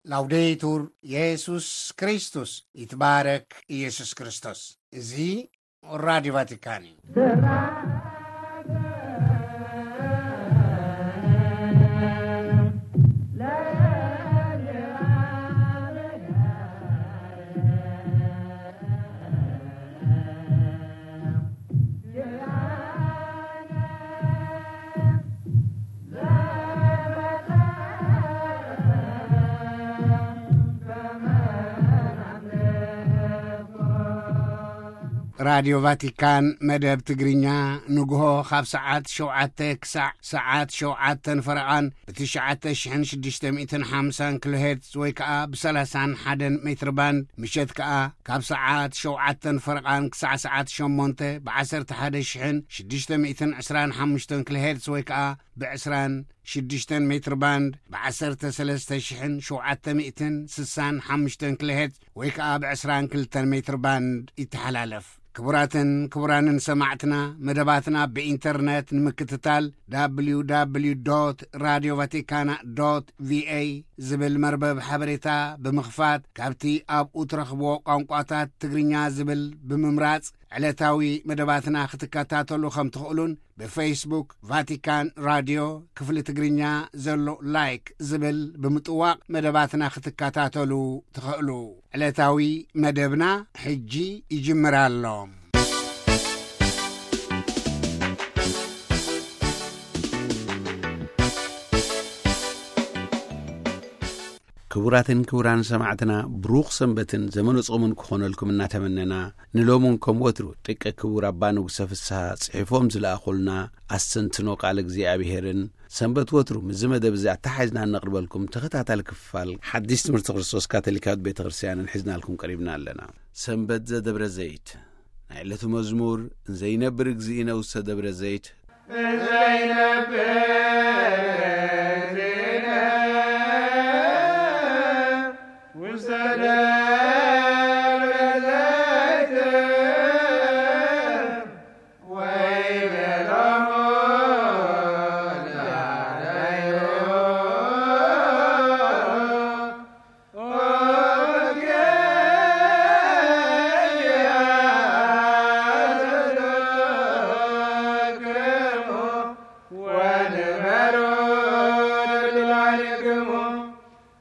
ላውዴቱር የሱስ ክርስቶስ፣ ይትባረክ ኢየሱስ ክርስቶስ። እዚ ራዲዮ ቫቲካን እዩ። ራዲዮ ቫቲካን መደብ ትግርኛ ንግሆ ካብ ሰዓት ሸውዓተ ክሳዕ ሰዓት ሸውዓተን ፈረቓን ብትሽዓተ ሽሕን ሽዱሽተ ሚእትን ሓምሳን ኪሎ ሄርትዝ ወይ ከኣ ብሰላሳን ሓደን ሜትር ባንድ፣ ምሸት ከኣ ካብ ሰዓት ሸውዓተን ፈረቓን ክሳዕ ሰዓት ሸሞንተ ብዓሰርተ ሓደ ሽሕን ሽዱሽተ ሚእትን ዕስራን ሓሙሽተን ኪሎ ሄርትዝ ወይ ከኣ ብዕስራን ሽዱሽተን ሜትር ባንድ ብዓሰርተ ሰለስተ ሽሕን ሸውዓተ ሚእትን ስሳን ሓሙሽተን ኪሎ ሄርትዝ ወይ ከኣ ብዕስራን ክልተን ሜትር ባንድ ይተሓላለፍ። ክቡራትን ክቡራንን ሰማዕትና፣ መደባትና ብኢንተርነት ንምክትታል፣ www.radiovaticana.va ዝብል መርበብ ሓበሬታ ብምኽፋት፣ ካብቲ ኣብኡ ትረኽብዎ ቋንቋታት ትግርኛ ዝብል ብምምራጽ፣ ዕለታዊ መደባትና ክትከታተሉ ከም ትኽእሉን፣ ብፌስቡክ ቫቲካን ራድዮ ክፍሊ ትግርኛ ዘሎ ላይክ ዝብል ብምጥዋቕ መደባትና ክትከታተሉ ትኽእሉ። ዕለታዊ መደብና ሕጂ ይጅምር ኣሎ። ክቡራትን ክቡራን ሰማዕትና፣ ብሩኽ ሰንበትን ዘመነ ጾምን ክኾነልኩም እናተመነና፣ ንሎምን ከም ወትሩ ጥቀ ክቡር ኣባ ንጉሰ ፍስሃ ጽሒፎም ዝለኣኹልና ኣስተንትኖ ቃል እግዚኣብሔርን፣ ሰንበት ወትሩ ምስዚ መደብ እዚ ኣተሓሒዝና እነቕርበልኩም ተኸታታሊ ክፋል ሓድሽ ትምህርቲ ክርስቶስ ካቶሊካዊት ቤተ ክርስቲያንን ሒዝናልኩም ቀሪብና ኣለና። ሰንበት ዘደብረ ዘይት። ናይ ዕለቱ መዝሙር፣ ዘይነብር እግዚእነ ውስተ ደብረ ዘይት። ዘይነብር እግዚእነ ውስተ ደብረ ዘይት ወይቤሎሙ ዳለዩ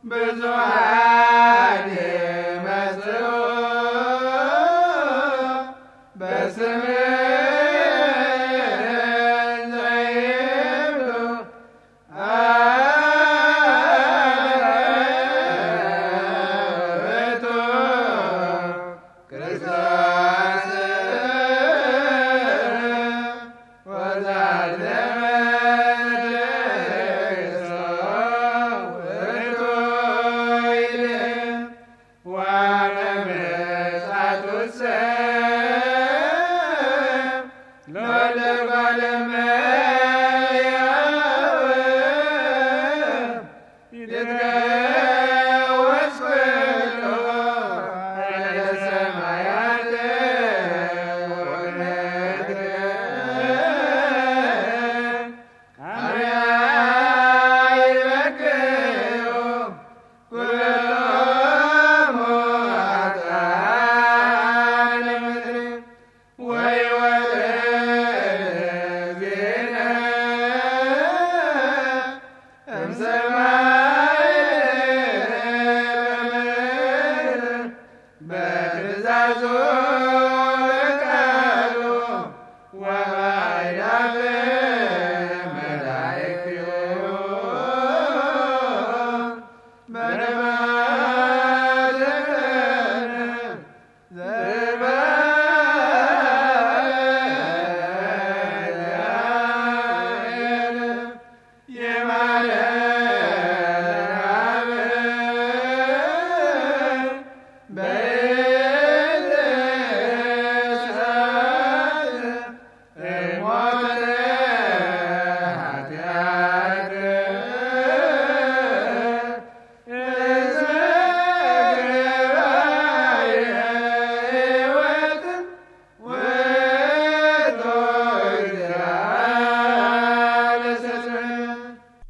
ብዙኃን ይመጽኡ በስምህ ዘይብሉ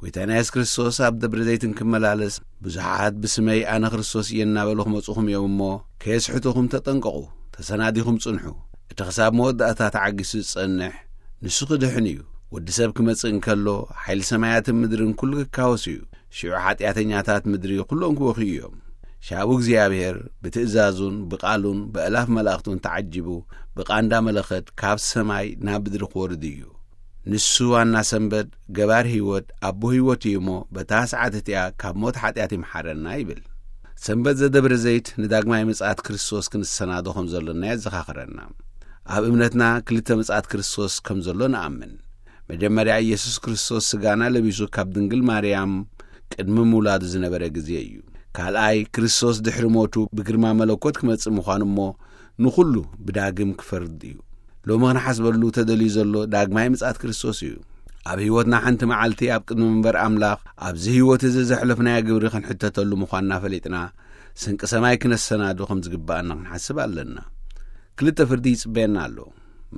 ጎይታና የሱስ ክርስቶስ ኣብ ደብረ ዘይትን ክመላለስ ብዙሓት ብስመይ ኣነ ክርስቶስ እየ እናበሉ ክመጹኹም እዮም እሞ፣ ከየስሕቱኹም ተጠንቀቑ፣ ተሰናዲኹም ጽንሑ። እቲ ክሳብ መወዳእታ ተዓጊሱ ዝጸንሕ ንሱ ክድሕን እዩ። ወዲ ሰብ ክመጽእ እንከሎ፣ ሓይሊ ሰማያትን ምድርን ኩሉ ክካወስ እዩ። ሽዑ ሓጢኣተኛታት ምድሪ ኩሎም ክበኽዩ እዮም። ሻቡ እግዚኣብሔር ብትእዛዙን ብቓሉን ብእላፍ መላእኽቱን ተዓጂቡ፣ ብቓንዳ መለኸት ካብ ሰማይ ናብ ምድሪ ክወርድ እዩ። ንሱ ዋና ሰንበት፣ ገባር ህይወት፣ ኣቦ ህይወት እዩ እሞ፣ በታ ሰዓት እቲኣ ካብ ሞት ሓጢኣት ይምሓረና ይብል። ሰንበት ዘደብረ ዘይት ንዳግማይ ምጽኣት ክርስቶስ ክንሰናዶ ከም ዘሎና የዘኻኽረና። ኣብ እምነትና ክልተ ምጽኣት ክርስቶስ ከም ዘሎ ንኣምን። መጀመርያ ኢየሱስ ክርስቶስ ስጋና ለቢሱ ካብ ድንግል ማርያም ቅድሚ ምውላዱ ዝነበረ ግዜ እዩ። ካልኣይ ክርስቶስ ድሕሪ ሞቱ ብግርማ መለኮት ክመጽእ ምዃኑ እሞ ንኹሉ ብዳግም ክፈርድ እዩ። ሎሚ ክንሓስበሉ ተደልዩ ዘሎ ዳግማይ ምጽኣት ክርስቶስ እዩ። ኣብ ህይወትና ሓንቲ መዓልቲ ኣብ ቅድሚ መንበር ኣምላኽ ኣብዚ ህይወት እዚ ዘሕለፍናዮ ግብሪ ክንሕተተሉ ምዃንና ፈሊጥና ስንቂ ሰማይ ክነሰናዱ ከም ዝግብኣና ክንሓስብ ኣለና። ክልተ ፍርዲ ይጽበየና ኣሎ።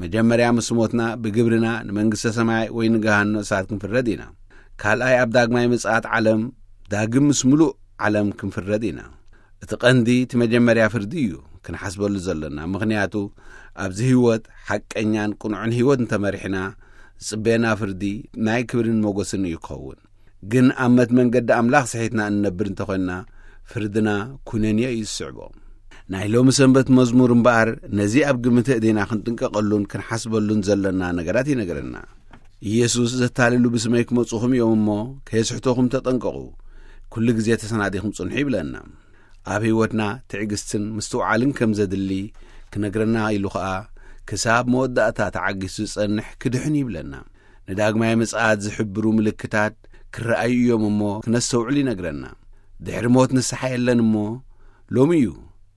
መጀመርያ ምስ ሞትና ብግብርና ንመንግስተ ሰማይ ወይ ንገሃኖ እሳት ክንፍረድ ኢና። ካልኣይ ኣብ ዳግማይ ምጽኣት ዓለም ዳግም ምስ ምሉእ ዓለም ክንፍረድ ኢና። እቲ ቀንዲ እቲ መጀመርያ ፍርዲ እዩ ክንሓስበሉ ዘለና። ምኽንያቱ ኣብዚ ህይወት ሓቀኛን ቅኑዕን ህይወት እንተመሪሕና ዝጽበየና ፍርዲ ናይ ክብርን ሞገስን እዩ ክኸውን። ግን ኣብ መት መንገዲ ኣምላኽ ስሒትና እንነብር እንተኾንና ፍርድና ኩነንዮ እዩ ዝስዕቦ። ናይ ሎሚ ሰንበት መዝሙር እምበኣር ነዚ ኣብ ግምት እዴና ክንጥንቀቐሉን ክንሓስበሉን ዘለና ነገራት ይነግረና። ኢየሱስ ዘታልሉ ብስመይ ክመጹኹም እዮም እሞ ከየስሕቶኹም ተጠንቀቑ፣ ኩሉ ግዜ ተሰናዲኹም ጽንሑ ይብለና። ኣብ ህይወትና ትዕግስትን ምስትውዓልን ከም ዘድሊ ክነግረና ኢሉ ኸኣ ክሳብ መወዳእታ ተዓጊሱ ዝጸንሕ ክድሕን ይብለና። ንዳግማይ ምጽኣት ዝሕብሩ ምልክታት ክረኣዩ እዮም እሞ ክነስተውዕል ይነግረና። ድሕሪ ሞት ንስሓ የለን እሞ ሎሚ እዩ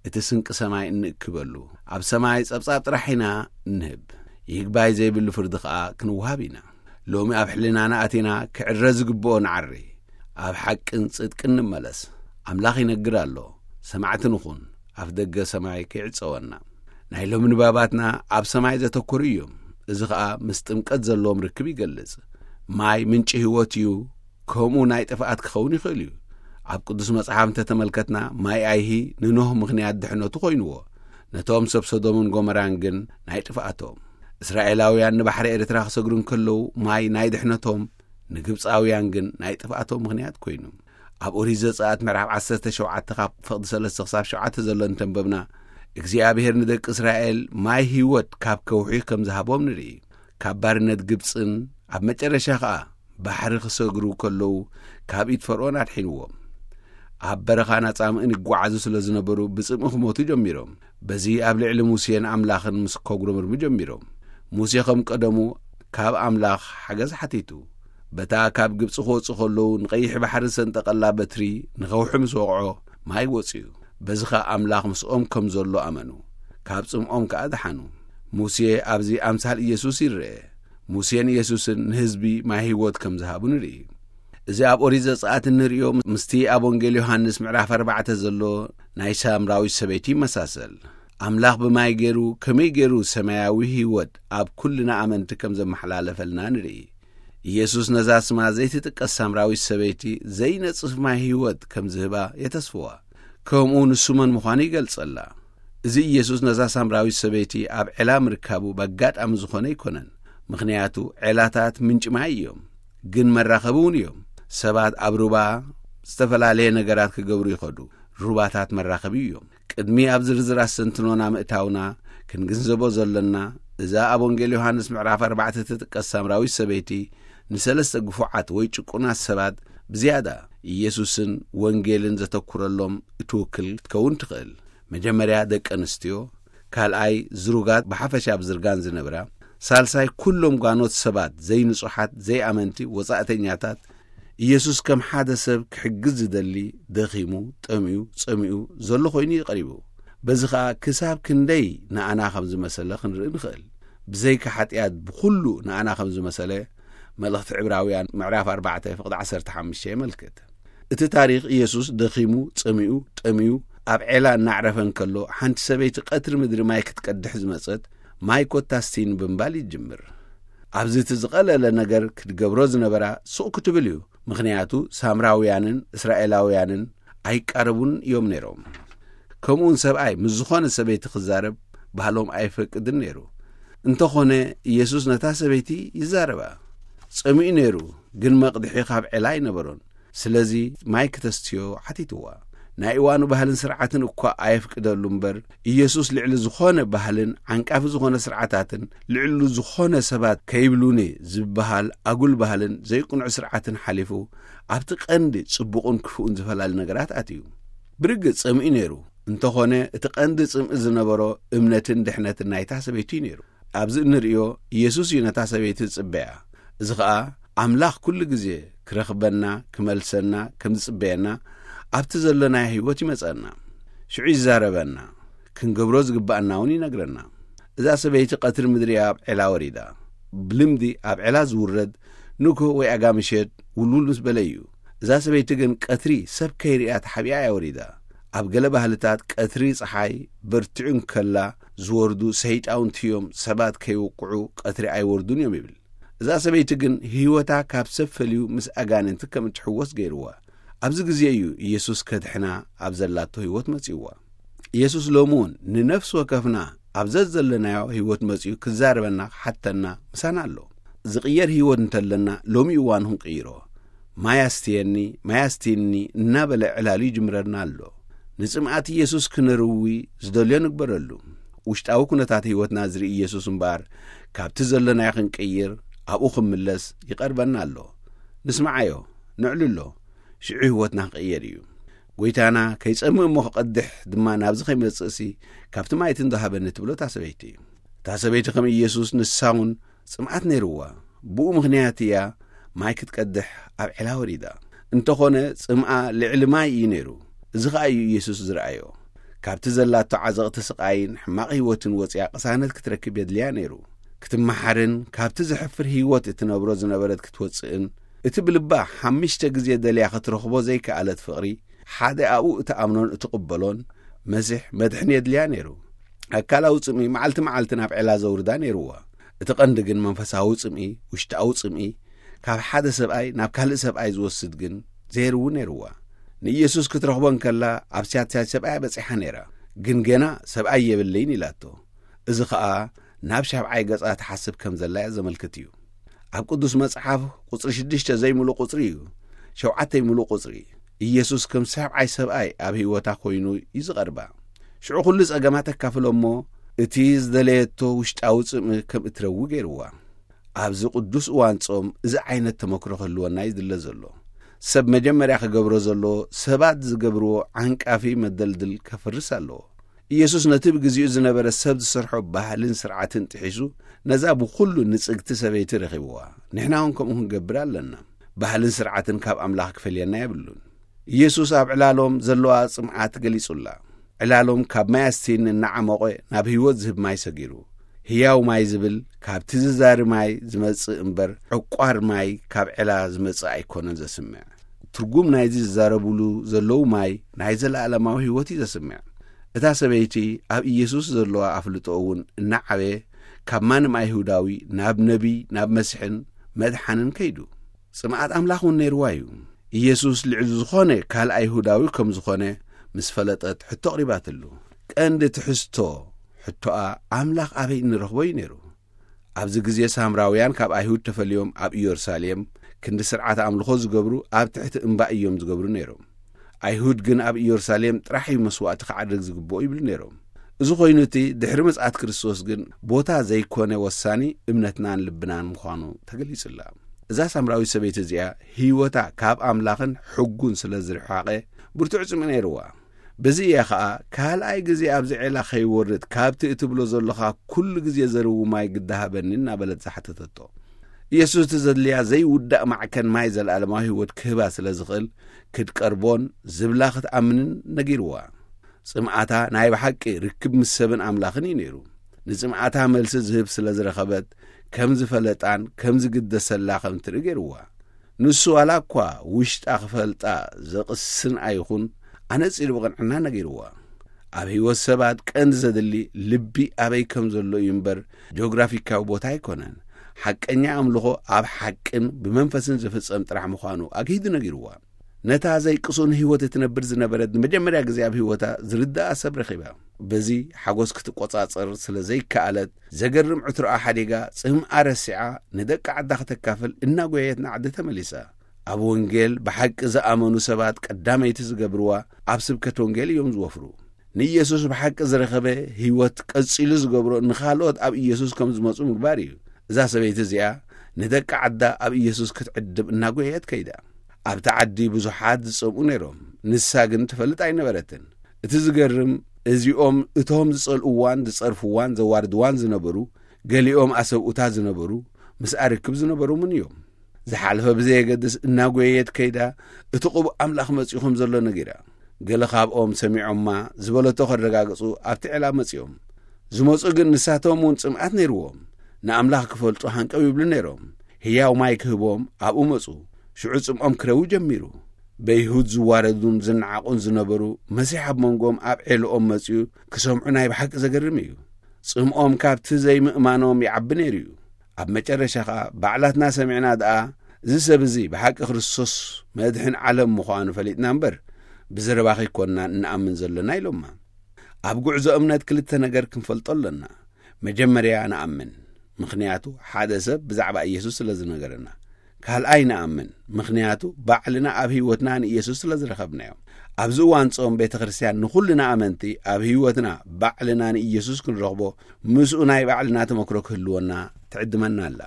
እቲ ስንቂ ሰማይ እንእክበሉ። ኣብ ሰማይ ጸብጻብ ጥራሕ ኢና እንህብ። ይግባይ ዘይብሉ ፍርዲ ኸኣ ክንወሃብ ኢና። ሎሚ ኣብ ሕልናና ኣቲና ክዕረ ዝግብኦ ንዓሪ። ኣብ ሓቅን ጽድቅን ንመለስ። ኣምላኽ ይነግር ኣሎ። ሰማዕቲ ንኹን። ኣፍ ደገ ሰማይ ከይዕጸወና። ናይ ሎሚ ንባባትና ኣብ ሰማይ ዘተኮሩ እዮም። እዚ ኸኣ ምስ ጥምቀት ዘለዎም ርክብ ይገልጽ። ማይ ምንጪ ህይወት እዩ። ከምኡ ናይ ጥፍኣት ክኸውን ይኽእል እዩ። ኣብ ቅዱስ መጽሓፍ እንተተመልከትና ማይ ኣይሂ ንኖህ ምኽንያት ድሕነቱ ኮይንዎ። ነቶም ሰብ ሶዶምን ጎመራን ግን ናይ ጥፍኣቶም። እስራኤላውያን ንባሕሪ ኤርትራ ክሰግሩ እንከለዉ ማይ ናይ ድሕነቶም፣ ንግብጻውያን ግን ናይ ጥፍኣቶም ምኽንያት ኮይኑ። ኣብ ኦሪት ዘጸኣት ምዕራፍ ዓሰርተ ሸውዓተ ካብ ፍቕዲ ሰለስተ ክሳብ ሸውዓተ ዘሎ እንተንበብና፣ እግዚኣብሔር ንደቂ እስራኤል ማይ ህይወት ካብ ከውሒ ከም ዝሃቦም ንርኢ። ካብ ባርነት ግብጽን ኣብ መጨረሻ ኸኣ ባሕሪ ክሰግሩ ከለዉ ካብ ኢድ ፈርዖን ኣድሒንዎም። ኣብ በረኻን ኣጻምእን ይጓዓዙ ስለ ዝነበሩ ብጽምኢ ክሞቱ ጀሚሮም። በዚ ኣብ ልዕሊ ሙሴን ኣምላኽን ምስ ከጉረምርሙ ጀሚሮም። ሙሴ ከም ቀደሙ ካብ ኣምላኽ ሓገዝ ሓቲቱ። በታ ካብ ግብጺ ክወጹ ከለዉ ንቐይሕ ባሕሪ ዝሰንጠቐላ በትሪ ንኸውሒ ምስ ወቕዖ ማይ ወጽኡ። በዚ ኸኣ ኣምላኽ ምስኦም ከም ዘሎ ኣመኑ። ካብ ጽምኦም ከኣ ደሓኑ። ሙሴ ኣብዚ ኣምሳል ኢየሱስ ይረአ። ሙሴን ኢየሱስን ንህዝቢ ማይ ህይወት ከም ዝሃቡ ንርኢ። እዚ ኣብ ኦሪት ዘጸኣት እንርእዮ ምስቲ ኣብ ወንጌል ዮሃንስ ምዕራፍ ኣርባዕተ ዘሎ ናይ ሳምራዊት ሰበይቲ ይመሳሰል። ኣምላኽ ብማይ ገይሩ ከመይ ገይሩ ሰማያዊ ህይወት ኣብ ኩልና ኣመንቲ ከም ዘመሓላለፈልና ንርኢ። ኢየሱስ ነዛ ስማ ዘይትጥቀስ ሳምራዊት ሰበይቲ ዘይነጽፍ ማይ ህይወት ከም ዝህባ የተስፍዋ። ከምኡ ንሱ መን ምዃኑ ይገልጸላ። እዚ ኢየሱስ ነዛ ሳምራዊት ሰበይቲ ኣብ ዔላ ምርካቡ በጋጣሚ ዝኾነ ኣይኮነን። ምኽንያቱ ዔላታት ምንጪ ማይ እዮም፣ ግን መራኸቢ እውን እዮም። ሰባት ኣብ ሩባ ዝተፈላለየ ነገራት ክገብሩ ይኸዱ። ሩባታት መራኸቢ እዮም። ቅድሚ ኣብ ዝርዝር ኣስተንትኖና ምእታውና ክንግንዘቦ ዘሎና፣ እዛ ኣብ ወንጌል ዮሃንስ ምዕራፍ ኣርባዕተ ትጥቀስ ሳምራዊት ሰበይቲ ንሰለስተ ግፉዓት ወይ ጭቁናት ሰባት ብዝያዳ ኢየሱስን ወንጌልን ዘተኩረሎም እትውክል ክትከውን ትኽእል። መጀመርያ ደቂ ኣንስትዮ፣ ካልኣይ ዝሩጋት ብሓፈሻ ኣብ ዝርጋን ዝነብራ፣ ሳልሳይ ኩሎም ጓኖት ሰባት ዘይንጹሓት ዘይኣመንቲ ወጻእተኛታት። ኢየሱስ ከም ሓደ ሰብ ክሕግዝ ዝደሊ ደኺሙ፣ ጠምዩ፣ ጸሚኡ ዘሎ ኮይኑ እዩ ቀሪቡ። በዚ ኸኣ ክሳብ ክንደይ ንኣና ከም ዝመሰለ ክንርኢ ንኽእል። ብዘይካ ሓጢኣት ብኹሉ ንኣና ከም ዝመሰለ መልእኽቲ ዕብራውያን ምዕራፍ ኣርባዕተ ፍቕዲ ዓሰርተ ሓሙሽተ የመልክት። እቲ ታሪኽ ኢየሱስ ደኺሙ፣ ጸሚኡ፣ ጠምዩ ኣብ ዔላ እናዕረፈ እንከሎ ሓንቲ ሰበይቲ ቀትሪ ምድሪ ማይ ክትቀድሕ ዝመጸት ማይ ኮታ ስቲኒ ብምባል ይጅምር። ኣብዚ እቲ ዝቐለለ ነገር ክትገብሮ ዝነበራ ሱቕ ክትብል እዩ። ምኽንያቱ ሳምራውያንን እስራኤላውያንን ኣይቃረቡን እዮም ነይሮም። ከምኡውን ሰብኣይ ምስ ዝኾነ ሰበይቲ ክዛረብ ባህሎም ኣይፈቅድን ነይሩ። እንተኾነ ኢየሱስ ነታ ሰበይቲ ይዛረባ። ጸሚኡ ነይሩ፣ ግን መቕድሒ ካብ ዔላ ኣይነበሮን። ስለዚ ማይ ክተስትዮ ሓቲትዋ። ናይ እዋኑ ባህልን ስርዓትን እኳ ኣየፍቅደሉ እምበር፣ ኢየሱስ ልዕሊ ዝኾነ ባህልን ዓንቃፊ ዝኾነ ስርዓታትን፣ ልዕሉ ዝኾነ ሰባት ከይብሉኒ ዝበሃል ኣጉል ባህልን ዘይቅኑዕ ስርዓትን ሓሊፉ፣ ኣብቲ ቀንዲ ጽቡቕን ክፉእን ዝፈላለ ነገራት ኣትዩ። ብርግጽ ጸሚኡ ነይሩ። እንተኾነ እቲ ቀንዲ ጽምኢ ዝነበሮ እምነትን ድሕነትን ናይታ ሰበይቲ እዩ ነይሩ። ኣብዚ እንርእዮ ኢየሱስ እዩ ነታ ሰበይቲ ዝጽበያ። እዚ ኸኣ ኣምላኽ ኩሉ ግዜ ክረኽበና፣ ክመልሰና ከም ዝጽበየና ኣብቲ ዘሎናዮ ህይወት ይመጸና። ሽዑ ይዛረበና፣ ክንገብሮ ዝግባኣና እውን ይነግረና። እዛ ሰበይቲ ቀትሪ ምድሪ ኣብ ዔላ ወሪዳ። ብልምዲ ኣብ ዔላ ዝውረድ ንግሆ ወይ ኣጋ ምሸት ውልውል ምስ በለ እዩ። እዛ ሰበይቲ ግን ቀትሪ ሰብ ከይርእያ ተሓቢኣ እያ ወሪዳ። ኣብ ገለ ባህልታት ቀትሪ ጸሓይ በርቲዑ እንከላ ዝወርዱ ሰይጣውንቲ እዮም፣ ሰባት ከይውቅዑ ቀትሪ ኣይወርዱን እዮም ይብል። እዛ ሰበይቲ ግን ህይወታ ካብ ሰብ ፈልዩ ምስ ኣጋንንቲ ከም እትሕወስ ገይርዋ። ኣብዚ ግዜ እዩ ኢየሱስ ከድሕና ኣብ ዘላቶ ህይወት መጺእዋ። ኢየሱስ ሎሚ እውን ንነፍሲ ወከፍና ኣብ ዘዘለናዮ ህይወት መጺኡ ክዛረበና ክሓተና ምሳና ኣሎ። ዝቕየር ህይወት እንተለና ሎሚ እዋን ክንቅይሮ። ማይ ኣስትየኒ፣ ማይ ኣስትየኒ እናበለ ዕላሉ ይጅምረና ኣሎ። ንጽምኣት ኢየሱስ ክነርዊ ዝደልዮ ንግበረሉ። ውሽጣዊ ኩነታት ህይወትና ዝርኢ ኢየሱስ እምበኣር፣ ካብቲ ዘሎናዮ ክንቅይር፣ ኣብኡ ክምለስ ይቐርበና ኣሎ። ንስምዓዮ፣ ነዕልሎ፣ ሽዑ ህይወትና ክቕየር እዩ። ጎይታና ከይጸምእ እሞ ክቐድሕ ድማ ናብዚ ከይመጽእሲ፣ ካብቲ ማይ እቲ እንዶ ሃበኒ ትብሎ እታ ሰበይቲ። እታ ሰበይቲ ከም ኢየሱስ ንሳ እውን ጽምኣት ነይርዋ። ብኡ ምኽንያት እያ ማይ ክትቀድሕ ኣብ ዔላ ወሪዳ። እንተኾነ ጽምኣ ልዕሊ ማይ እዩ ነይሩ። እዚ ኸኣ እዩ ኢየሱስ ዝረኣዮ። ካብቲ ዘላቶ ዓዘቕቲ ስቓይን ሕማቕ ህይወትን ወጺኣ ቅሳነት ክትረክብ የድልያ ነይሩ። ክትመሓርን ካብቲ ዘሕፍር ህይወት እትነብሮ ዝነበረት ክትወጽእን፣ እቲ ብልባ ሓምሽተ ግዜ ደልያ ክትረኽቦ ዘይከኣለት ፍቕሪ፣ ሓደ ኣብኡ እትኣምኖን እትቕበሎን መሲሕ መድሕን የድልያ ነይሩ። ኣካላዊ ጽምኢ መዓልቲ መዓልቲ ናብ ዔላ ዘውርዳ ነይርዋ። እቲ ቀንዲ ግን መንፈሳዊ ጽምኢ፣ ውሽጣዊ ጽምኢ፣ ካብ ሓደ ሰብኣይ ናብ ካልእ ሰብኣይ ዝወስድ ግን ዘይርዊ ነይርዋ። ንኢየሱስ ክትረኽቦ እንከላ ኣብ ስያትስያት ሰብኣያ በጺሓ ነይራ። ግን ገና ሰብኣይ የብለይን ኢላቶ። እዚ ኸኣ ናብ ሻብዓይ ገጻ ትሓስብ ከም ዘላ እያ ዘመልክት እዩ። ኣብ ቅዱስ መጽሓፍ ቁጽሪ ሽዱሽተ ዘይምሉእ ቁጽሪ እዩ። ሸውዓተ ምሉእ ቁጽሪ። ኢየሱስ ከም ሻብዓይ ሰብኣይ ኣብ ህይወታ ኮይኑ እዩ ዝቐርባ። ሽዑ ኩሉ ጸገማ ተካፍሎ እሞ እቲ ዝደለየቶ ውሽጣዊ ጽምኢ ከም እትረዊ ገይርዋ። ኣብዚ ቅዱስ እዋን ጾም እዚ ዓይነት ተመክሮ ክህልወና እዩ ዝድለ ዘሎ። ሰብ መጀመርያ ክገብሮ ዘለዎ ሰባት ዝገብርዎ ዓንቃፊ መደልድል ከፍርስ ኣለዎ። ኢየሱስ ነቲ ብግዜኡ ዝነበረ ሰብ ዝሰርሖ ባህልን ስርዓትን ጥሒሱ ነዛ ብኹሉ ንጽግቲ ሰበይቲ ረኺብዋ። ንሕና እውን ከምኡ ክንገብር ኣለና። ባህልን ስርዓትን ካብ ኣምላኽ ክፈልየና የብሉን። ኢየሱስ ኣብ ዕላሎም ዘለዋ ጽምኣት ገሊጹላ። ዕላሎም ካብ ማይ ኣስቲን እናዓሞቐ ናብ ህይወት ዝህብ ማይ ሰጊሩ። ህያው ማይ ዝብል ካብቲ ዝዛሪ ማይ ዝመጽእ እምበር ዕቋር ማይ ካብ ዕላ ዝመጽእ ኣይኮነን ዘስምዕ። ትርጉም ናይዚ ዝዛረቡሉ ዘለዉ ማይ ናይ ዘለኣለማዊ ህይወት እዩ ዘስምዕ። እታ ሰበይቲ ኣብ ኢየሱስ ዘለዋ ኣፍልጦ እውን እናዓበየ ካብ ማንም ኣይሁዳዊ ናብ ነቢይ፣ ናብ መሲሕን መድሓንን ከይዱ። ጽምኣት ኣምላኽ እውን ነይርዋ እዩ። ኢየሱስ ልዕሊ ዝኾነ ካልእ ኣይሁዳዊ ከም ዝኾነ ምስ ፈለጠት ሕቶ ኣቕሪባትሉ። ቀንዲ ትሕዝቶ ሕቶኣ ኣምላኽ ኣበይ እንረኽቦ እዩ ነይሩ። ኣብዚ ግዜ ሳምራውያን ካብ ኣይሁድ ተፈልዮም ኣብ ኢየሩሳሌም ክንዲ ስርዓት ኣምልኾ ዝገብሩ ኣብ ትሕቲ እምባ እዮም ዝገብሩ ነይሮም። ኣይሁድ ግን ኣብ ኢየሩሳሌም ጥራሕ እዩ መስዋእቲ ክዓርግ ዝግብኦ ይብሉ ነይሮም። እዚ ኮይኑ እቲ ድሕሪ ምጽኣት ክርስቶስ ግን ቦታ ዘይኮነ ወሳኒ እምነትናን ልብናን ምዃኑ ተገሊጹላ። እዛ ሳምራዊት ሰበይቲ እዚኣ ህይወታ ካብ ኣምላኽን ሕጉን ስለ ዝርሓቐ ብርቱዕ ጽምኢ ነይርዋ። በዚ እያ ኸኣ ካልኣይ ግዜ ኣብዚ ዔላ ከይወርድ ካብቲ እትብሎ ዘለኻ ኩሉ ግዜ ዘርዊ ማይ ግዳ ሃበኒ እናበለት ዝሓተተቶ። ኢየሱስ እቲ ዘድልያ ዘይውዳእ ማዕከን ማይ ዘለኣለማዊ ህይወት ክህባ ስለ ዝኽእል ክትቀርቦን ዝብላ ክትኣምንን ነጊርዋ። ጽምኣታ ናይ ብሓቂ ርክብ ምስ ሰብን ኣምላኽን እዩ ነይሩ። ንጽምኣታ መልሲ ዝህብ ስለ ዝረኸበት ከም ዝፈለጣን ከም ዝግደሰላ ከም ትርኢ ገይርዋ። ንሱ ዋላ እኳ ውሽጣ ክፈልጣ ዘቕስን ኣይኹን ኣነጺሩ ብቕንዕና ነጊርዋ። ኣብ ህይወት ሰባት ቀንዲ ዘድሊ ልቢ ኣበይ ከም ዘሎ እዩ እምበር ጂኦግራፊካዊ ቦታ ኣይኮነን። ሓቀኛ ኣምልኾ ኣብ ሓቅን ብመንፈስን ዝፍጸም ጥራሕ ምዃኑ ኣግሂዱ ነጊርዋ። ነታ ዘይቅሱን ህይወት እትነብር ዝነበረት ንመጀመርያ ግዜ ኣብ ህይወታ ዝርድኣ ሰብ ረኺባ። በዚ ሓጎስ ክትቆጻጸር ስለ ዘይከኣለት፣ ዘገርም ዕትሮኣ ሓዲጋ፣ ጽምኣ ረሲዓ፣ ንደቂ ዓዳ ከተካፍል እናጎየየት ንዓዲ ተመሊሳ። ኣብ ወንጌል ብሓቂ ዝኣመኑ ሰባት ቀዳመይቲ ዝገብርዋ ኣብ ስብከት ወንጌል እዮም ዝወፍሩ። ንኢየሱስ ብሓቂ ዝረኸበ ህይወት ቀጺሉ ዝገብሮ ንኻልኦት ኣብ ኢየሱስ ከም ዝመጹ ምግባር እዩ። እዛ ሰበይቲ እዚኣ ንደቂ ዓዳ ኣብ ኢየሱስ ክትዕድም እናጎየየት ከይዳ። ኣብቲ ዓዲ ብዙሓት ዝጸምኡ ነይሮም፣ ንሳ ግን ትፈልጥ ኣይነበረትን። እቲ ዝገርም፣ እዚኦም እቶም ዝጸልእዋን ዝጸርፍዋን ዘዋርድዋን ዝነበሩ፣ ገሊኦም ኣሰብኡታ ዝነበሩ፣ ምስኣ ርክብ ዝነበሮምን እዮም። ዝሓለፈ ብዘየገድስ እናጎየየት ከይዳ፣ እቲ ቅቡእ ኣምላኽ መጺኡ ከም ዘሎ ነጊራ። ገለ ካብኦም ሰሚዖማ ዝበለቶ ከረጋግጹ ኣብቲ ዕላ መጺኦም። ዝመጹ ግን ንሳቶም እውን ጽምኣት ነይርዎም። ንኣምላኽ ክፈልጡ ሃንቀው ይብሉ ነይሮም። ህያው ማይ ክህቦም ኣብኡ መጹ። ሽዑ ጽምኦም ክረዊ ጀሚሩ። በይሁድ ዝዋረዱን ዝነዓቑን ዝነበሩ፣ መሲሕ ኣብ መንጎኦም ኣብ ዔልኦም መጺኡ ክሰምዑ ናይ ብሓቂ ዘገርም እዩ። ጽምኦም ካብቲ ዘይምእማኖም ይዓቢ ነይሩ እዩ። ኣብ መጨረሻ ኸኣ፣ ባዕላትና ሰሚዕና ደኣ፣ እዚ ሰብ እዚ ብሓቂ ክርስቶስ መድሕን ዓለም ምዃኑ ፈሊጥና እምበር፣ ብዘረባ ከይኮንና እንኣምን ዘለና ኢሎማ። ኣብ ጉዕዞ እምነት ክልተ ነገር ክንፈልጦ ኣለና። መጀመርያ ንኣምን፣ ምኽንያቱ ሓደ ሰብ ብዛዕባ ኢየሱስ ስለ ዝነገረና። ካልኣይ ንኣምን፣ ምኽንያቱ ባዕልና ኣብ ህይወትና ንኢየሱስ ስለ ዝረኸብናዮ። ኣብዚ እዋን ጾም ቤተ ክርስቲያን ንኹልና ኣመንቲ ኣብ ህይወትና ባዕልና ንኢየሱስ ክንረኽቦ፣ ምስኡ ናይ ባዕልና ተመክሮ ክህልወና ትዕድመና ኣላ።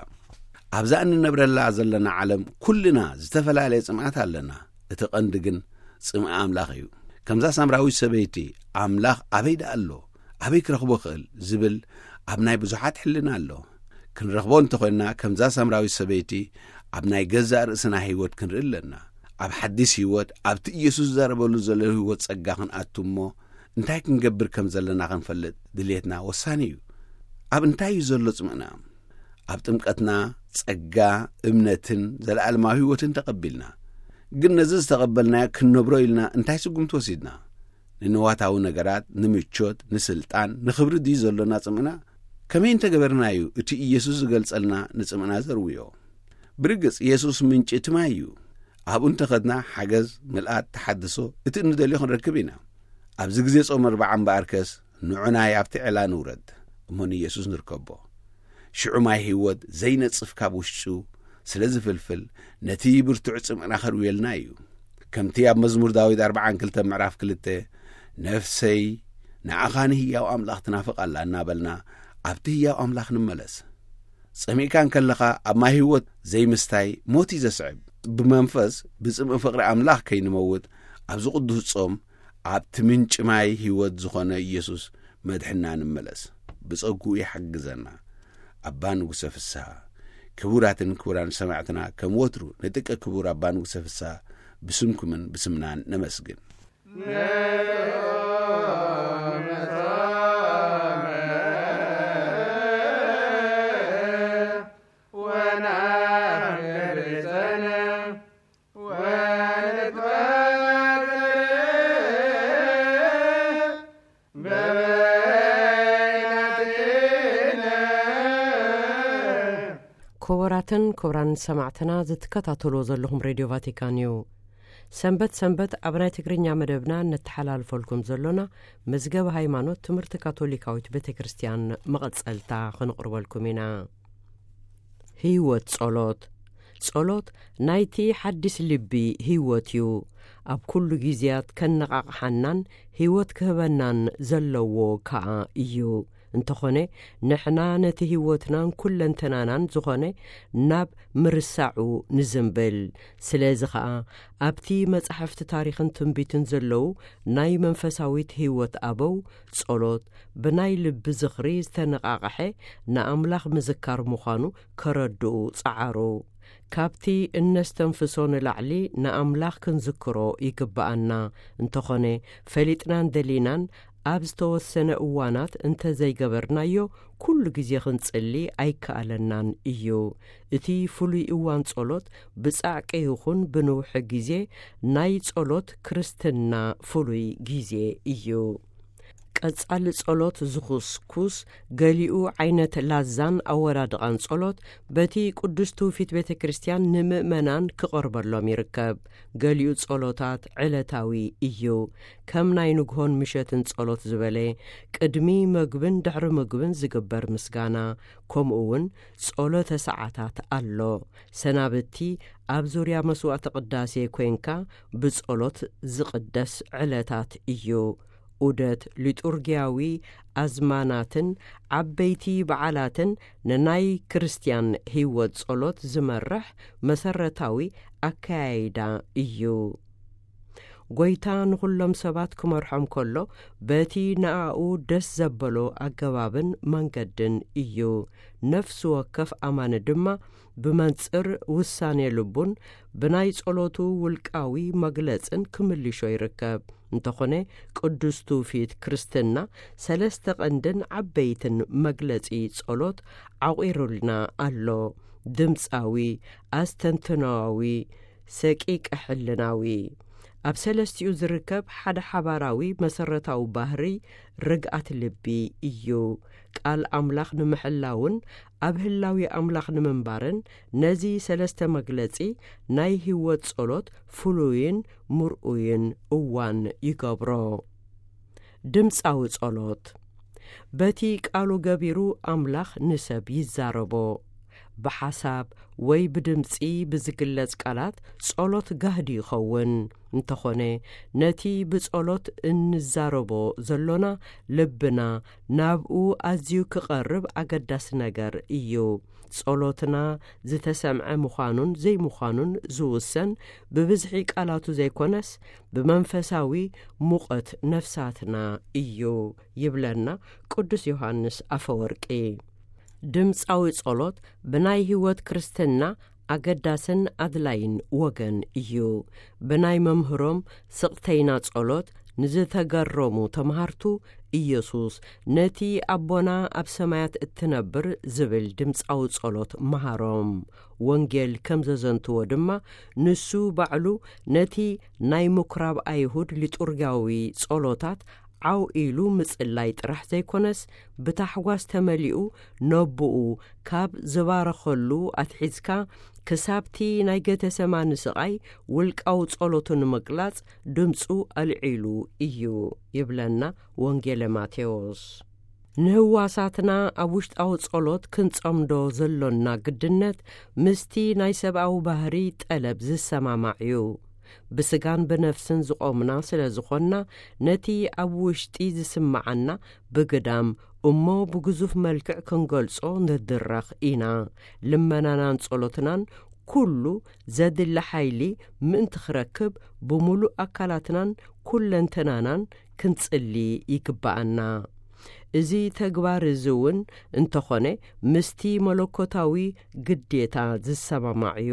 ኣብዛ እንነብረላ ዘለና ዓለም ኩልና ዝተፈላለየ ጽምኣት ኣለና። እቲ ቀንዲ ግን ጽምኢ ኣምላኽ እዩ። ከምዛ ሳምራዊት ሰበይቲ፣ "ኣምላኽ ኣበይ ደኣ ኣሎ? ኣበይ ክረኽቦ እኽእል?" ዝብል ኣብ ናይ ብዙሓት ሕልና ኣሎ። ክንረኽቦ እንተኾይንና፣ ከምዛ ሳምራዊት ሰበይቲ ኣብ ናይ ገዛእ ርእስና ህይወት ክንርኢ ኣለና። ኣብ ሓድሽ ህይወት፣ ኣብቲ ኢየሱስ ዝዛረበሉ ዘሎ ህይወት ጸጋ ክንኣቱ እሞ፣ እንታይ ክንገብር ከም ዘለና ክንፈልጥ ድልየትና ወሳኒ እዩ። ኣብ እንታይ እዩ ዘሎ ጽምእና? ኣብ ጥምቀትና ጸጋ፣ እምነትን ዘለኣለማዊ ህይወትን ተቐቢልና። ግን ነዚ ዝተቐበልናዮ ክንነብሮ ኢልና እንታይ ስጉምቲ ወሲድና? ንንዋታዊ ነገራት፣ ንምቾት፣ ንስልጣን፣ ንኽብሪ ድዩ ዘሎና ጽምእና? ከመይ እንተገበርና እዩ እቲ ኢየሱስ ዝገልጸልና ንጽምእና ዘርውዮ? ብርግጽ፣ ኢየሱስ ምንጪ እቲ ማይ እዩ። ኣብኡ እንተኸድና ሓገዝ፣ ምልኣት፣ ተሓድሶ፣ እቲ እንደልዮ ክንረክብ ኢና። ኣብዚ ግዜ ጾም ኣርብዓ እምበኣርከስ፣ ንዑ ናይ ኣብቲ ዕላ ንውረድ፣ እሞ ንኢየሱስ ንርከቦ። ሽዑ ማይ ህይወት ዘይነጽፍ ካብ ውሽጡ ስለ ዝፍልፍል፣ ነቲ ብርቱዕ ጽምእና ከርውየልና እዩ። ከምቲ ኣብ መዝሙር ዳዊት ኣርብዓን ክልተ ምዕራፍ ክልተ፣ "ነፍሰይ ንዓኻ ንህያው ኣምላኽ ትናፍቕ ኣላ" እናበልና፣ ኣብቲ ህያው ኣምላኽ ንመለስ። ጸሚእካ እንከለኻ ኣብ ማይ ህይወት ዘይምስታይ ሞት እዩ ዘስዕብ። ብመንፈስ ብጽምኢ ፍቕሪ ኣምላኽ ከይንመውት ኣብዚ ቅዱስ ጾም ኣብቲ ምንጪ ማይ ህይወት ዝኾነ ኢየሱስ መድሕና ንመለስ። ብጸግኡ ይሓግዘና። ኣባ ንጉሰ ፍስሃ፣ ክቡራትን ክቡራን ሰማዕትና፣ ከም ወትሩ ንጥቀ ክቡር ኣባ ንጉሰ ፍስሃ ብስምኩምን ብስምናን ነመስግን። ክቡራትን ክቡራን ሰማዕትና፣ ዝትከታተልዎ ዘለኹም ሬድዮ ቫቲካን እዩ። ሰንበት ሰንበት ኣብ ናይ ትግርኛ መደብና እነተሓላልፈልኩም ዘሎና መዝገብ ሃይማኖት ትምህርቲ ካቶሊካዊት ቤተ ክርስቲያን መቐጸልታ ክንቕርበልኩም ኢና። ህይወት ጸሎት። ጸሎት ናይቲ ሓድሽ ልቢ ህይወት እዩ። ኣብ ኩሉ ግዜያት ከነቓቕሓናን ህይወት ክህበናን ዘለዎ ከኣ እዩ። እንተኾነ፣ ንሕና ነቲ ህይወትናን ኩለንተናናን ዝኾነ ናብ ምርሳዑ ንዝምብል። ስለዚ ኸኣ፣ ኣብቲ መጻሕፍቲ ታሪኽን ትንቢትን ዘለዉ ናይ መንፈሳዊት ህይወት ኣበው፣ ጸሎት ብናይ ልቢ ዝኽሪ ዝተነቓቕሐ ንኣምላኽ ምዝካር ምዃኑ ከረድኡ ጸዓሩ። ካብቲ እነስተንፍሶ ንላዕሊ ንኣምላኽ ክንዝክሮ ይግብኣና። እንተኾነ፣ ፈሊጥናን ደሊናን ኣብ ዝተወሰነ እዋናት እንተ ዘይገበርናዮ፣ ኩሉ ግዜ ክንጽሊ ኣይከኣለናን እዩ። እቲ ፍሉይ እዋን ጸሎት ብጻዕቂ ይኹን ብንውሒ ግዜ ናይ ጸሎት ክርስትና ፍሉይ ግዜ እዩ። ቀጻሊ ጸሎት ዝኹስኩስ፣ ገሊኡ ዓይነት ላዛን ኣወዳድቓን ጸሎት በቲ ቅዱስ ትውፊት ቤተ ክርስቲያን ንምእመናን ክቐርበሎም ይርከብ። ገሊኡ ጸሎታት ዕለታዊ እዩ። ከም ናይ ንግሆን ምሸትን ጸሎት ዝበለ፣ ቅድሚ መግብን ድሕሪ ምግብን ዝግበር ምስጋና፣ ከምኡ እውን ጸሎተ ሰዓታት ኣሎ። ሰናብቲ ኣብ ዙርያ መስዋዕተ ቅዳሴ ኮይንካ ብጸሎት ዝቕደስ ዕለታት እዩ። ዑደት ሊጡርጊያዊ ኣዝማናትን ዓበይቲ በዓላትን ንናይ ክርስትያን ህይወት ጸሎት ዝመርሕ መሰረታዊ ኣከያይዳ እዩ። ጎይታ ንኹሎም ሰባት ክመርሖም ከሎ፣ በቲ ንኣኡ ደስ ዘበሎ ኣገባብን መንገድን እዩ። ነፍሲ ወከፍ ኣማኒ ድማ ብመንጽር ውሳኔ ልቡን ብናይ ጸሎቱ ውልቃዊ መግለጽን ክምልሾ ይርከብ። እንተኾነ፣ ቅዱስ ትውፊት ክርስትና ሰለስተ ቀንድን ዓበይትን መግለጺ ጸሎት ዓቑሩልና ኣሎ። ድምጻዊ፣ ኣስተንትኖዊ፣ ሰቂቀ ሕልናዊ። ኣብ ሰለስቲኡ ዝርከብ ሓደ ሓባራዊ መሰረታዊ ባህሪ ርግኣት ልቢ እዩ። ቃል ኣምላኽ ንምሕላውን ኣብ ህላዊ ኣምላኽ ንምንባርን፣ ነዚ ሰለስተ መግለጺ ናይ ህይወት ጸሎት ፍሉይን ምርኡይን እዋን ይገብሮ። ድምጻዊ ጸሎት። በቲ ቃሉ ገቢሩ ኣምላኽ ንሰብ ይዛረቦ። ብሓሳብ ወይ ብድምጺ ብዝግለጽ ቃላት ጸሎት ጋህዲ ይኸውን። እንተኾነ፣ ነቲ ብጸሎት እንዛረቦ ዘሎና ልብና ናብኡ ኣዝዩ ክቐርብ ኣገዳሲ ነገር እዩ። ጸሎትና ዝተሰምዐ ምዃኑን ዘይምዃኑን ዝውሰን ብብዝሒ ቃላቱ ዘይኮነስ፣ ብመንፈሳዊ ሙቐት ነፍሳትና እዩ፣ ይብለና ቅዱስ ዮሃንስ ኣፈወርቂ። ድምጻዊ ጸሎት ብናይ ህይወት ክርስትና ኣገዳስን ኣድላይን ወገን እዩ። ብናይ መምህሮም ስቕተይና ጸሎት ንዝተገረሙ ተምሃርቱ፣ ኢየሱስ ነቲ ኣቦና ኣብ ሰማያት እትነብር ዝብል ድምጻዊ ጸሎት መሃሮም። ወንጌል ከም ዘዘንትዎ ድማ፣ ንሱ ባዕሉ ነቲ ናይ ምኩራብ ኣይሁድ ሊጡርጋዊ ጸሎታት ዓው ኢሉ ምጽላይ ጥራሕ ዘይኮነስ፣ ብታሕጓስ ተመሊኡ ነቦኡ ካብ ዝባረኸሉ ኣትሒዝካ ክሳብቲ ናይ ገተሰማኒ ስቓይ ውልቃዊ ጸሎቱ ንምግላጽ ድምጹ ኣልዒሉ እዩ፣ ይብለና ወንጌለ ማቴዎስ። ንህዋሳትና ኣብ ውሽጣዊ ጸሎት ክንጸምዶ ዘሎና ግድነት ምስቲ ናይ ሰብኣዊ ባህሪ ጠለብ ዝሰማማዕ እዩ። ብስጋን ብነፍስን ዝቖምና ስለ ዝኾንና፣ ነቲ ኣብ ውሽጢ ዝስምዓና ብግዳም እሞ ብግዙፍ መልክዕ ክንገልጾ ንድረኽ ኢና። ልመናናን ጸሎትናን ኩሉ ዘድሊ ሓይሊ ምእንቲ ክረክብ፣ ብምሉእ ኣካላትናን ኩለንተናናን ክንጽሊ ይግብኣና። እዚ ተግባር እዚ እውን እንተኾነ፣ ምስቲ መለኮታዊ ግዴታ ዝሰማማዕ እዩ።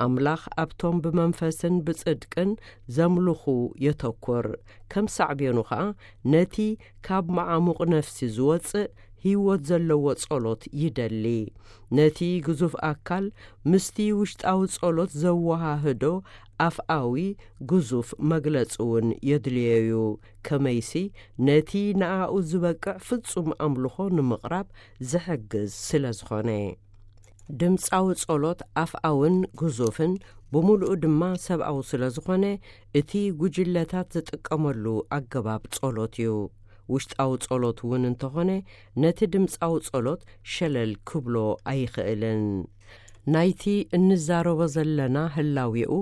ኣምላኽ ኣብቶም ብመንፈስን ብጽድቅን ዘምልኹ የተኩር። ከም ሳዕቤኑ ኸኣ፣ ነቲ ካብ መዓሙቕ ነፍሲ ዝወጽእ ህይወት ዘለዎ ጸሎት ይደሊ። ነቲ ግዙፍ ኣካል ምስቲ ውሽጣዊ ጸሎት ዘወሃህዶ ኣፍኣዊ ግዙፍ መግለጺ እውን የድልዮ እዩ። ከመይሲ፣ ነቲ ንኣኡ ዝበቅዕ ፍጹም ኣምልኾ ንምቕራብ ዝሕግዝ ስለ ዝኾነ። ድምጻዊ ጸሎት ኣፍኣውን ግዙፍን ብምሉኡ ድማ ሰብኣዊ ስለ ዝኾነ፣ እቲ ጉጅለታት ዝጥቀመሉ ኣገባብ ጸሎት እዩ። ውሽጣዊ ጸሎት እውን እንተኾነ፣ ነቲ ድምጻዊ ጸሎት ሸለል ክብሎ ኣይኽእልን። ናይቲ እንዛረቦ ዘለና ህላዌኡ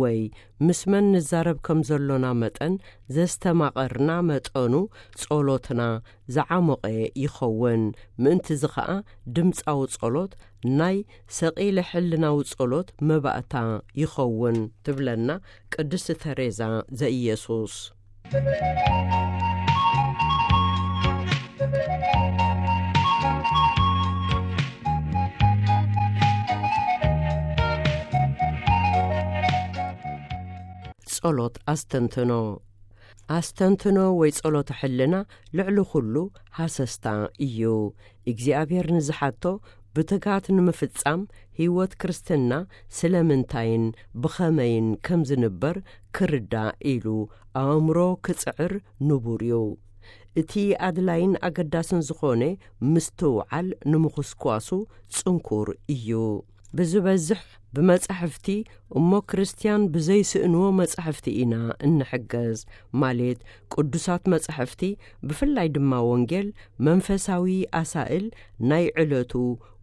ወይ ምስ መን ንዛረብ ከም ዘሎና መጠን ዘስተማቐርና መጠኑ ጸሎትና ዝዓሞቐ ይኸውን። ምእንትዚ ኸኣ ድምጻዊ ጸሎት ናይ ሰቒለ ሕልናዊ ጸሎት መባእታ ይኸውን፣ ትብለና ቅድስቲ ተሬዛ ዘኢየሱስ። ጸሎት ኣስተንትኖ። ኣስተንትኖ ወይ ጸሎተ ሕልና ልዕሊ ኩሉ ሃሰስታ እዩ። እግዚኣብሔር ንዝሓቶ ብትግሃት ንምፍጻም፣ ህይወት ክርስትና ስለምንታይን ብኸመይን ከም ዝንበር ክርዳእ ኢሉ ኣእምሮ ክጽዕር ንቡር እዩ። እቲ ኣድላይን ኣገዳስን ዝኾነ ምስትውዓል ንምኹስኳሱ ጽንኩር እዩ። ብዝበዝሕ ብመጻሕፍቲ እሞ ክርስትያን ብዘይስእንዎ መጻሕፍቲ ኢና እንሕገዝ። ማለት ቅዱሳት መጻሕፍቲ፣ ብፍላይ ድማ ወንጌል፣ መንፈሳዊ ኣሳእል፣ ናይ ዕለቱ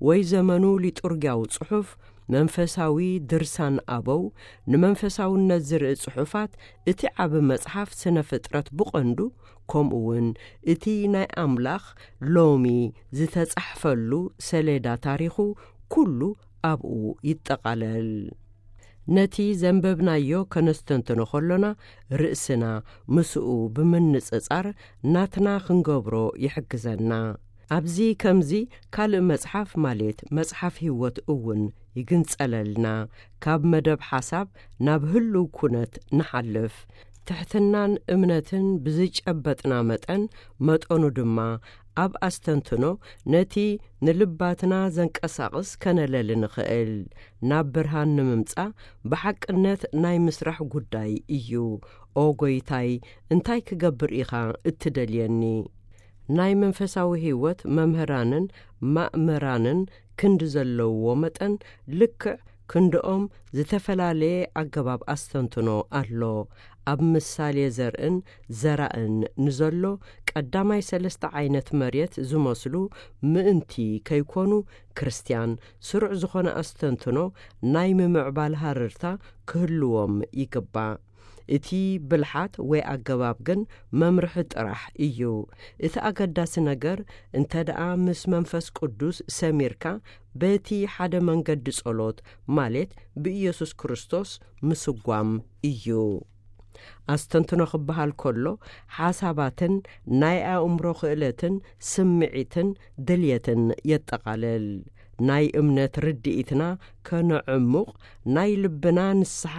ወይ ዘመኑ ሊጡርጊያዊ ጽሑፍ፣ መንፈሳዊ ድርሳን ኣበው፣ ንመንፈሳውነት ዝርኢ ጽሑፋት፣ እቲ ዓቢ መጽሓፍ ስነ ፍጥረት ብቐንዱ፣ ከምኡ እውን እቲ ናይ ኣምላኽ ሎሚ ዝተጻሕፈሉ ሰሌዳ ታሪኹ ኩሉ ኣብኡ ይጠቓለል። ነቲ ዘንበብናዮ ከነስተንትኖ ከሎና፣ ርእስና ምስኡ ብምንጽጻር ናትና ክንገብሮ ይሕግዘና። ኣብዚ ከምዚ ካልእ መጽሓፍ፣ ማለት መጽሓፍ ህይወት እውን ይግንጸለልና። ካብ መደብ ሓሳብ ናብ ህልው ኩነት ንሓልፍ። ትሕትናን እምነትን ብዝጨበጥና መጠን፣ መጠኑ ድማ ኣብ ኣስተንትኖ ነቲ ንልባትና ዘንቀሳቕስ ከነለሊ ንኽእል። ናብ ብርሃን ንምምጻእ ብሓቅነት ናይ ምስራሕ ጉዳይ እዩ። ኦ ጎይታይ፣ እንታይ ክገብር ኢኻ እትደልየኒ? ናይ መንፈሳዊ ህይወት መምህራንን ማእመራንን ክንዲ ዘለውዎ መጠን፣ ልክዕ ክንድኦም ዝተፈላለየ ኣገባብ ኣስተንትኖ ኣሎ። ኣብ ምሳሌ ዘርእን ዘራእን ንዘሎ ቀዳማይ ሰለስተ ዓይነት መሬት ዝመስሉ ምእንቲ ከይኮኑ፣ ክርስትያን ስሩዕ ዝኾነ ኣስተንትኖ ናይ ምምዕባል ሃረርታ ክህልዎም ይግባእ። እቲ ብልሓት ወይ ኣገባብ ግን መምርሒ ጥራሕ እዩ። እቲ ኣገዳሲ ነገር፣ እንተ ደኣ ምስ መንፈስ ቅዱስ ሰሚርካ፣ በቲ ሓደ መንገዲ ጸሎት፣ ማለት ብኢየሱስ ክርስቶስ ምስጓም እዩ። ኣስተንትኖ ክበሃል ከሎ፣ ሓሳባትን ናይ ኣእምሮ ክእለትን ስምዒትን ድልየትን የጠቓልል። ናይ እምነት ርድኢትና ከነዕሙቕ፣ ናይ ልብና ንስሓ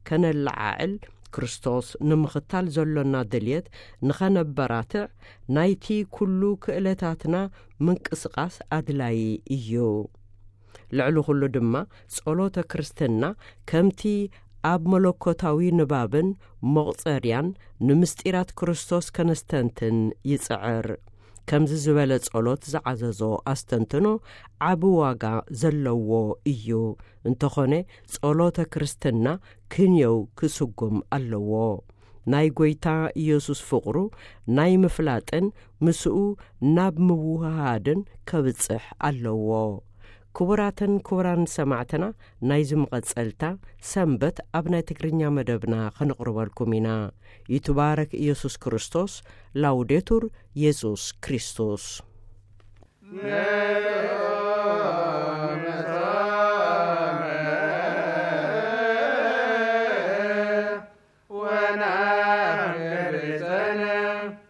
ከነለዓዕል፣ ክርስቶስ ንምኽታል ዘሎና ድልየት ንኸነበራትዕ፣ ናይቲ ኩሉ ክእለታትና ምንቅስቓስ ኣድላዪ እዩ። ልዕሊ ኩሉ ድማ፣ ጸሎተ ክርስትና ከምቲ ኣብ መለኮታዊ ንባብን መቑጸርያን ንምስጢራት ክርስቶስ ከነስተንትን ይጽዕር። ከምዚ ዝበለ ጸሎት ዝዓዘዞ ኣስተንትኖ ዓቢ ዋጋ ዘለዎ እዩ። እንተኾነ፣ ጸሎተ ክርስትና ክንየው ክስጉም ኣለዎ። ናይ ጐይታ ኢየሱስ ፍቕሩ ናይ ምፍላጥን ምስኡ ናብ ምውህሃድን ከብጽሕ ኣለዎ። ክቡራትን ክቡራን ሰማዕትና፣ ናይዚ መቐጸልታ ሰንበት ኣብ ናይ ትግርኛ መደብና ከነቕርበልኩም ኢና። ይትባረክ ኢየሱስ ክርስቶስ። ላውዴቱር ኢየሱስ ክርስቶስ።